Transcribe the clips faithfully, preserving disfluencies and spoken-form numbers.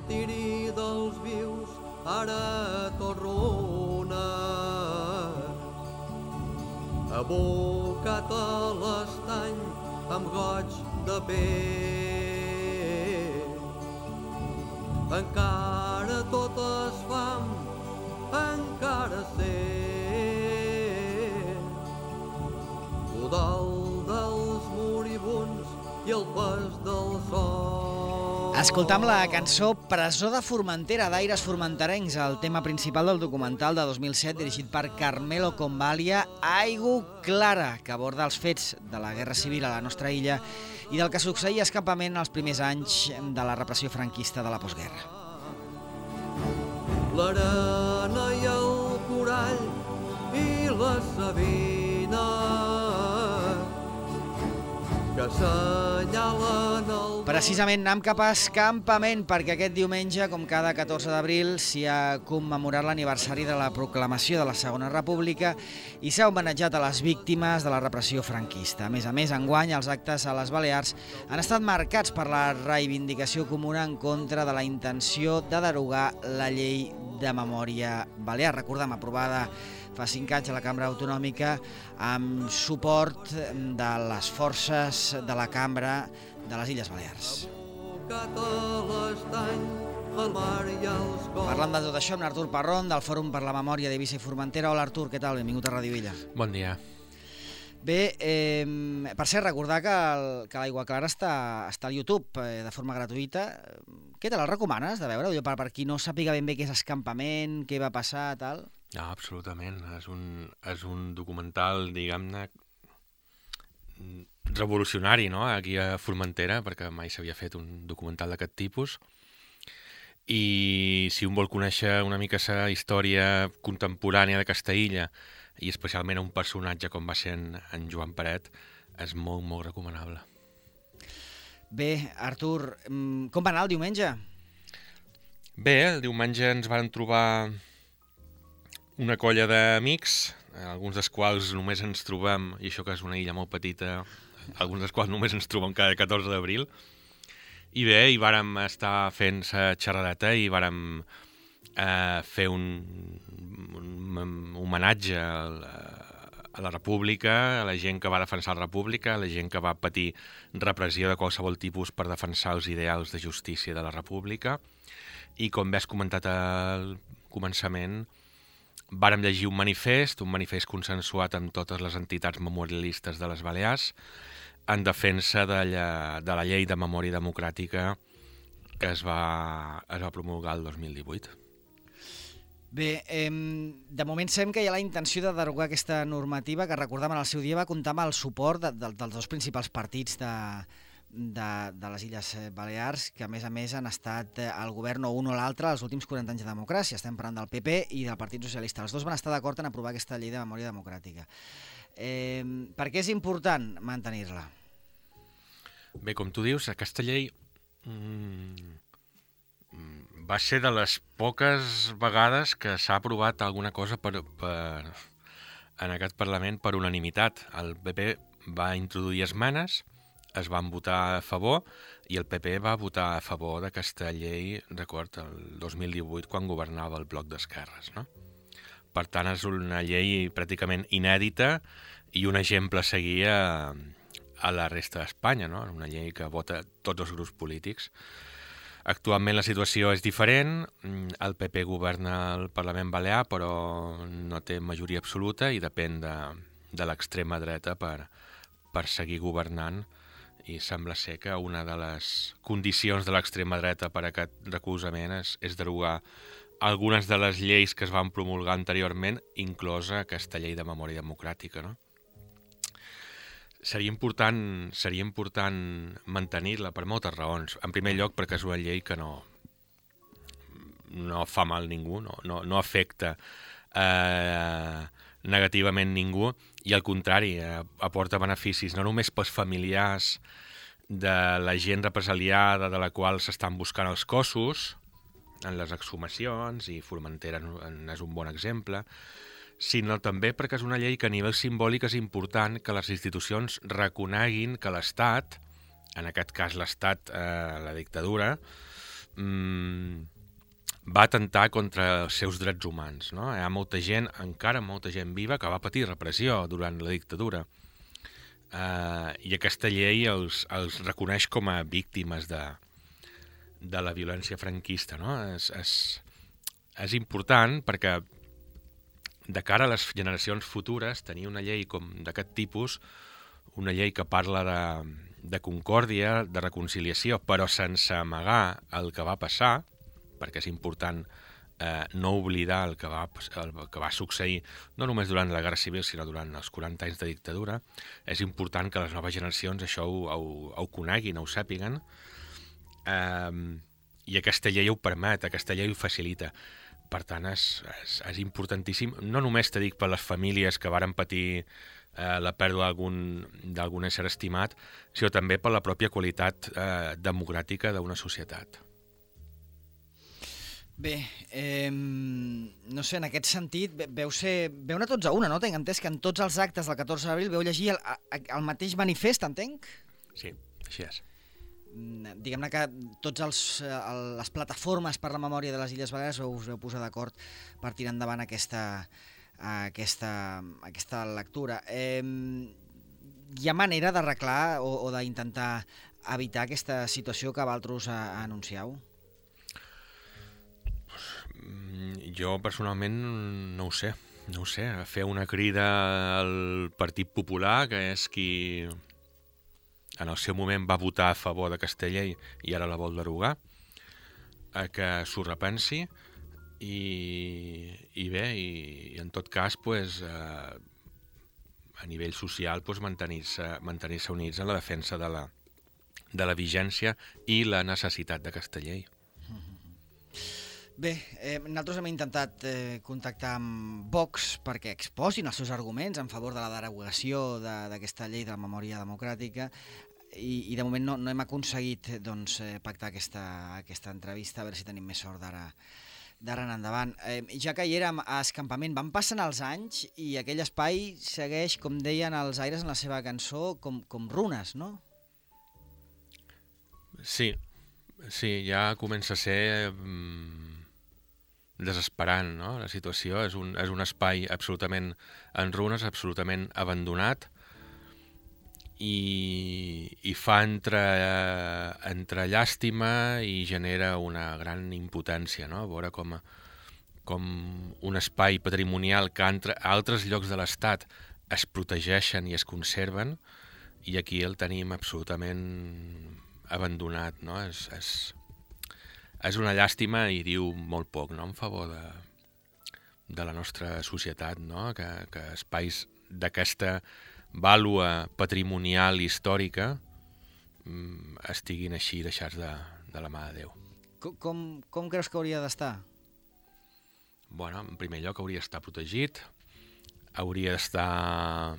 martiri dels vius, ara tot runa. Abocat a l'estany amb goig de pell. Encara tot es fam, encara sé. L'udal dels moribuns i el pas del sol. Escoltam la cançó Presó de Formentera, d'Aires Formenterencs, el tema principal del documental de dos mil set dirigit per Carmelo Convalia, Aigu Clara, que aborda els fets de la Guerra Civil a la nostra illa i del que succeïa a Escampament els primers anys de la repressió franquista de la postguerra. L'arena i el corall i la savina que assenyalen el... Precisament anem cap a Escampament, perquè aquest diumenge, com cada catorze d'abril, s'hi ha commemorat l'aniversari de la proclamació de la Segona República i s'ha homenatjat a les víctimes de la repressió franquista. A més a més, enguany, els actes a les Balears han estat marcats per la reivindicació comuna en contra de la intenció de derogar la llei de memòria balear. Recordem, aprovada fa cinc anys a la Cambra Autonòmica amb suport de les forces de la Cambra de les Illes Balears. Parlant de tot això amb Artur Parrón, del Fòrum per la Memòria d'Eivissa i Formentera. Hola Artur, què tal? Benvingut a Ràdio Illa. Bon dia. Bé, eh, per cert, recordar que, el, que l'Aigua Clara està, està al YouTube eh, de forma gratuïta. Què te la recomanes de veure? Per, per qui no sàpiga ben bé què és Escampament, què va passar, tal... No, absolutament. És un, és un documental, diguem-ne, revolucionari, no?, aquí a Formentera, perquè mai s'havia fet un documental d'aquest tipus. I si un vol conèixer una mica la història contemporània de Castellilla, i especialment un personatge com va ser en, en Joan Peret, és molt, molt recomanable. Bé, Artur, com va anar el diumenge? Bé, el diumenge ens van trobar una colla d'amics, alguns dels quals només ens trobem, i això que és una illa molt petita, alguns dels quals només ens trobem cada catorze d'abril, i bé, hi vàrem estar fent la xerradeta i vàrem eh, fer un, un, un homenatge a la, a la República, a la gent que va defensar la República, a la gent que va patir repressió de qualsevol tipus per defensar els ideals de justícia de la República, i com bé has comentat al començament, vàrem llegir un manifest, un manifest consensuat amb totes les entitats memorialistes de les Balears en defensa de la, de la llei de memòria democràtica que es va, es va promulgar el dos mil divuit. Bé, eh, de moment sabem que hi ha la intenció de derogar aquesta normativa que, recordem, en el seu dia va comptar amb el suport de, de, dels dos principals partits de, de, de les Illes Balears, que a més a més han estat al govern o un o l'altre els últims quaranta anys de democràcia. Estem parlant del P P i del Partit Socialista. Els dos van estar d'acord en aprovar aquesta llei de memòria democràtica. Eh, per què és important mantenir-la? Bé, com tu dius, aquesta llei mmm, va ser de les poques vegades que s'ha aprovat alguna cosa per, per, en aquest Parlament per unanimitat. El P P va introduir esmenes, es van votar a favor i el P P va votar a favor d'aquesta llei, record, el dos mil divuit, quan governava el Bloc d'Esquerres, no? Per tant, és una llei pràcticament inèdita i un exemple a seguir a, a la resta d'Espanya, no? Una llei que vota tots els grups polítics. Actualment la situació és diferent, el P P governa el Parlament Balear, però no té majoria absoluta i depèn de, de l'extrema dreta per, per seguir governant, i sembla ser que una de les condicions de l'extrema dreta per a aquest recolzament és, és derogar algunes de les lleis que es van promulgar anteriorment, inclosa aquesta llei de memòria democràtica, no? Seria important, seria important mantenir-la per moltes raons. En primer lloc, perquè és una llei que no, no fa mal a ningú, no, no, no afecta eh, negativament ningú, i al contrari, eh, aporta beneficis no només pels familiars de la gent represaliada de la qual s'estan buscant els cossos en les exhumacions, i Formentera és un bon exemple, sinó també perquè és una llei que a nivell simbòlic és important que les institucions reconeguin que l'Estat, en aquest cas l'Estat, eh, la dictadura, mm, va atemptar contra els seus drets humans. No? Hi ha molta gent, encara molta gent viva, que va patir repressió durant la dictadura. Uh, I aquesta llei els, els reconeix com a víctimes de, de la violència franquista. No? És, és, és important perquè de cara a les generacions futures tenir una llei com d'aquest tipus, una llei que parla de, de concòrdia, de reconciliació, però sense amagar el que va passar, perquè és important eh, no oblidar el que, va, el que va succeir no només durant la Guerra Civil, sinó durant els quaranta anys de dictadura. És important que les noves generacions això ho, ho, ho coneguin, ho sàpiguen, eh, i aquesta llei ho permet, aquesta llei ho facilita. Per tant, és, és, és importantíssim, no només te dic per les famílies que varen patir eh, la pèrdua d'algun ésser estimat, sinó també per la pròpia qualitat eh, democràtica d'una societat. Bé, eh, no sé, en aquest sentit, veu ser, veu anar tots a una, no? Tinc entès que en tots els actes del catorze d'abril veu llegir el, el mateix manifest, entenc? Sí, així és. Diguem-ne que tots els, les plataformes per la memòria de les Illes Balears us veu posar d'acord per tirar endavant aquesta, aquesta, aquesta lectura. Eh, hi ha manera d'arreglar o, o d'intentar evitar aquesta situació que vosaltres anuncieu? Jo personalment no ho sé, no ho sé. Fer una crida al Partit Popular, que és qui en el seu moment va votar a favor d'aquesta llei i ara la vol derogar, a que s'ho repensi i, i bé, i, i en tot cas pues, eh, a nivell social pues, mantenir-se mantenir-se units en la defensa de la, de la vigència i la necessitat d'aquesta llei. Bé, eh, nosaltres hem intentat eh, contactar amb Vox perquè exposin els seus arguments en favor de la derogació d'aquesta llei de la memòria democràtica i, i de moment no, no hem aconseguit doncs, eh, pactar aquesta, aquesta entrevista, a veure si tenim més sort d'ara d'ara en endavant. Eh, ja que hi érem a escampament, van passant els anys i aquell espai segueix, com deien els Aires en la seva cançó, com, com runes, no? Sí, sí, ja comença a ser mm, desesperant, no? La situació és un, és un espai absolutament en runes, absolutament abandonat i, i fa entre, entre llàstima i genera una gran impotència, no? Veure com, com un espai patrimonial que entre altres llocs de l'Estat es protegeixen i es conserven i aquí el tenim absolutament abandonat, no? És, és, és una llàstima i diu molt poc, no?, en favor de, de la nostra societat, no?, que, que espais d'aquesta vàlua patrimonial històrica mm, estiguin així deixats de, de la mà de Déu. Com, com, com creus que hauria d'estar? Bueno, en primer lloc hauria d'estar protegit, hauria d'estar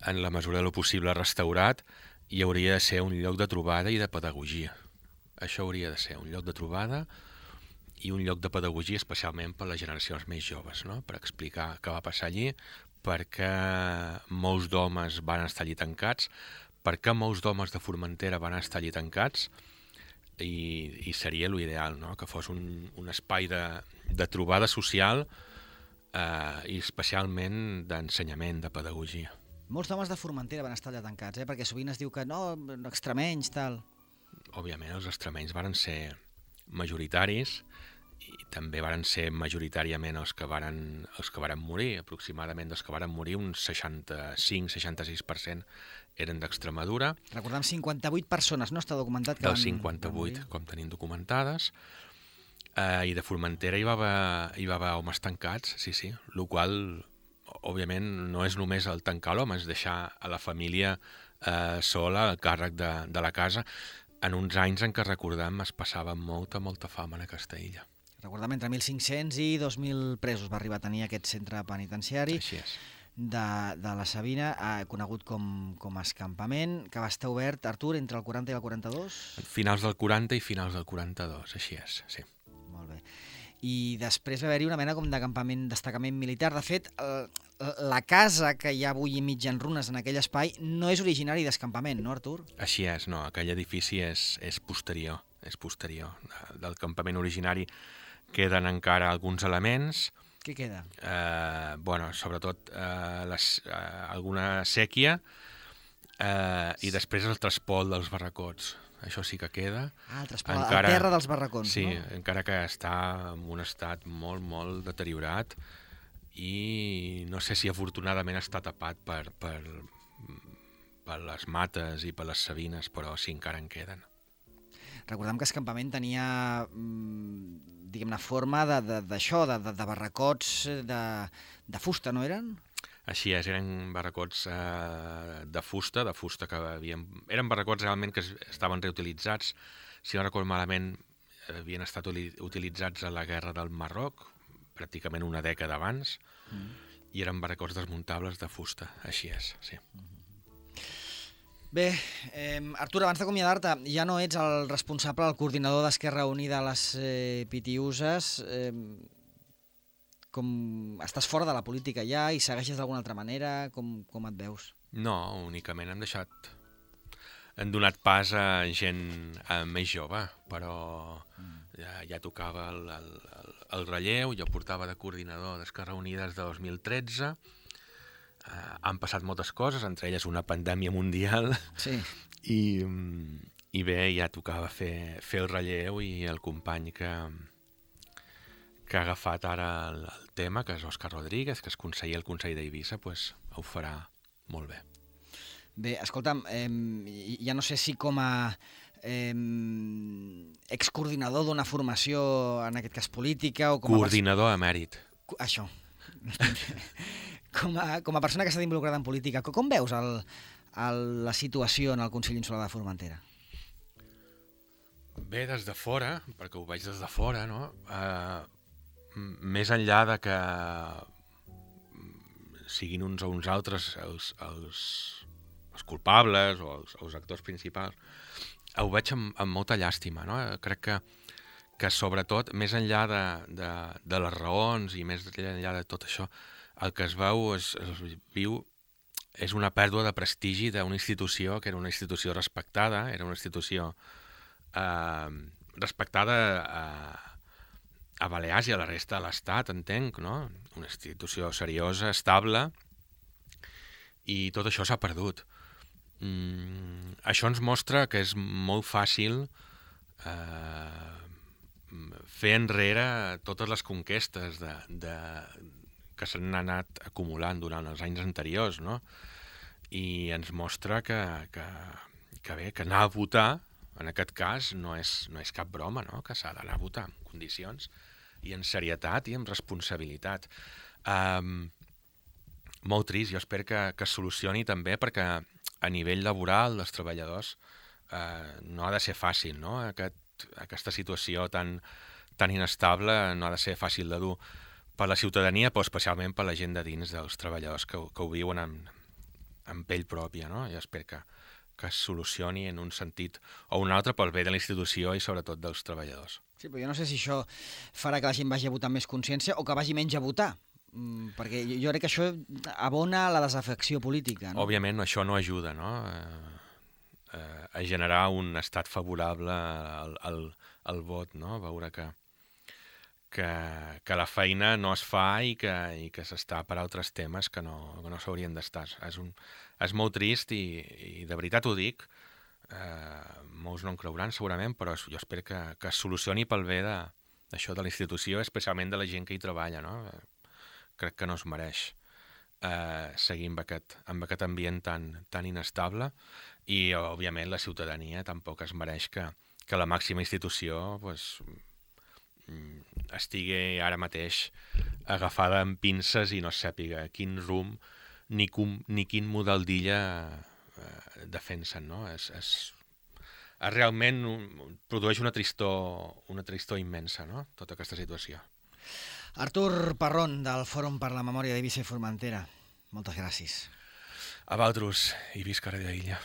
en la mesura del possible restaurat i hauria de ser un lloc de trobada i de pedagogia. Això hauria de ser un lloc de trobada i un lloc de pedagogia especialment per a les generacions més joves, no? Per explicar què va passar allí, perquè molts d'homes van estar allí tancats, perquè molts d'homes de Formentera van estar allí tancats i, i seria l'ideal, no? Que fos un, un espai de, de trobada social eh, i especialment d'ensenyament, de pedagogia. Molts homes de Formentera van estar allà tancats, eh? Perquè sovint es diu que no, extremenys, tal. Òbviament els extremenys varen ser majoritaris i també varen ser majoritàriament els que varen, els que varen morir. Aproximadament dels que varen morir, un seixanta-cinc seixanta sis per cent eren d'Extremadura. Recordem, cinquanta-vuit persones, no està documentat? Que Del van, cinquanta-vuit, van com tenim documentades. Eh, I de Formentera hi va, haver, hi va haver homes tancats, sí, sí. El qual, òbviament, no és només el tancar l'home, és deixar a la família eh, sola, al càrrec de, de la casa, en uns anys en què recordem es passava molta, molta fam en aquesta illa. Recordem, entre mil cinc-cents i dos mil presos va arribar a tenir aquest centre penitenciari de, de la Sabina, eh, conegut com, com a escampament, que va estar obert, Artur, entre el quaranta i el quaranta-dos? Finals del quaranta i finals del quaranta-dos, així és, sí. Molt bé. I després va haver-hi una mena com d'acampament, destacament militar. De fet, el, la casa que hi ha avui mig en runes en aquell espai no és originari d'escampament, no, Artur? Així és, no, aquell edifici és, és posterior, és posterior. Del campament originari queden encara alguns elements. Què queda? Eh, bueno, sobretot eh, les, eh, alguna sèquia eh, i després el traspol dels barracots. Això sí que queda. Ah, el traspol, encara, el terra dels barracons, sí, no? Sí, encara que està en un estat molt, molt deteriorat i no sé si afortunadament està tapat per, per, per les mates i per les sabines, però sí, encara en queden. Recordem que Escampament tenia, diguem-ne, forma d'això, de, de, de barracots de, de fusta, no eren? Així és, eren barracots eh, de fusta, de fusta que havien... Eren barracots realment que estaven reutilitzats, si no recordo malament, havien estat utilitzats a la guerra del Marroc, pràcticament una dècada abans, mm. i eren barracots desmuntables de fusta, així és, sí. Mm. Bé, eh, Artur, abans d'acomiadar-te, ja no ets el responsable, el coordinador d'Esquerra Unida a les eh, Pitiüses. Eh, com estàs fora de la política ja i segueixes d'alguna altra manera? Com, com et veus? No, únicament hem deixat... Hem donat pas a gent eh, més jove, però mm. ja, ja tocava el, el, el, el relleu. Jo portava de coordinador d'Esquerra Unida des de dos mil tretze. Uh, han passat moltes coses, entre elles una pandèmia mundial, sí. I, i bé, ja tocava fer, fer el relleu, i el company que, que ha agafat ara el, el tema, que és Òscar Rodríguez, que és conseller al Consell d'Eivissa, pues, ho farà molt bé. Bé, escolta'm, eh, ja no sé si com a eh, excoordinador d'una formació, en aquest cas política, o com a... Coordinador emèrit. Això. Com a, com a persona que està involucrada en política, com veus el, el, la situació en el Consell Insular de Formentera? Bé, des de fora, perquè ho veig des de fora, no? Uh, més enllà de que siguin uns o uns altres els, els, els culpables o els, els actors principals, ho veig amb, amb molta llàstima, no? Crec que, que sobretot, més enllà de, de, de les raons i més enllà de tot això, el que es veu, es, es viu, és una pèrdua de prestigi d'una institució que era una institució respectada, era una institució eh, respectada a, a Balears i a la resta de l'Estat, entenc, no? Una institució seriosa, estable, i tot això s'ha perdut. Mm, això ens mostra que és molt fàcil eh, fer enrere totes les conquestes de, de, que s'han anat acumulant durant els anys anteriors, no? I ens mostra que, que, que bé, que anar a votar, en aquest cas, no és, no és cap broma, no? Que s'ha d'anar a votar en condicions i en serietat i amb responsabilitat. Um, molt trist, jo espero que, que es solucioni també, perquè a nivell laboral dels treballadors eh, no ha de ser fàcil, no? Aquest, aquesta situació tan, tan inestable no ha de ser fàcil de dur per la ciutadania, però especialment per la gent de dins dels treballadors que, que ho viuen en, en pell pròpia, no? I espero que, que es solucioni en un sentit o un altre pel bé de la institució i sobretot dels treballadors. Sí, però jo no sé si això farà que la gent vagi a votar amb més consciència o que vagi menys a votar, mm, perquè jo crec que això abona la desafecció política, no? Òbviament això no ajuda, no? Eh, eh, a generar un estat favorable al, al, al vot, no? Veure que Que, que la feina no es fa i que, i que s'està per altres temes que no, que no s'haurien d'estar. És, un, és molt trist i, i de veritat ho dic, eh, molts no en creuran segurament, però jo espero que, que es solucioni pel bé d'això de, de la institució, especialment de la gent que hi treballa, no? Crec que no es mereix eh, seguir amb aquest, amb aquest ambient tan, tan inestable i, òbviament, la ciutadania tampoc es mereix que, que la màxima institució pues, estigui ara mateix agafada amb pinces i no sàpiga quin rumb ni, com, ni quin model d'illa eh, defensen, no? És, és, és realment un, produeix una tristor, una tristor immensa, no? Tota aquesta situació. Artur Parrón, del Fòrum per la Memòria d'Eivissa i Formentera. Moltes gràcies. A vosaltres i visca Radio Illa.